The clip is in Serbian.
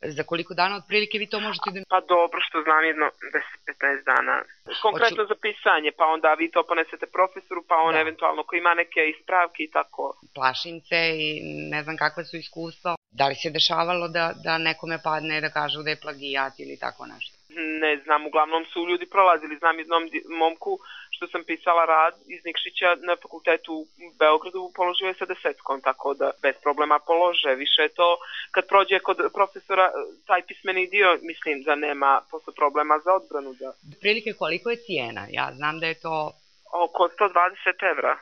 Za koliko dana otprilike vi to možete da... Pa dobro, što znam, jedno 10-15 dana. Konkretno za pisanje, pa onda vi to ponesete profesoru, pa on eventualno ko ima neke ispravke i tako. Plašim se i ne znam kakve su iskustva. Da li se dešavalo da nekome padne da kažu da je plagijat ili tako nešto? Ne znam, uglavnom su ljudi prolazili. Znam jednom momku što sam pisala rad iz Nikšića na fakultetu u Beogradu, položio je sa 10, tako da bez problema polože. Više je to kad prođe kod profesora taj pismeni dio, mislim da nema posle problema za odbranu. Prilike koliko je cijena? Ja znam da je to... Oko 120 evra.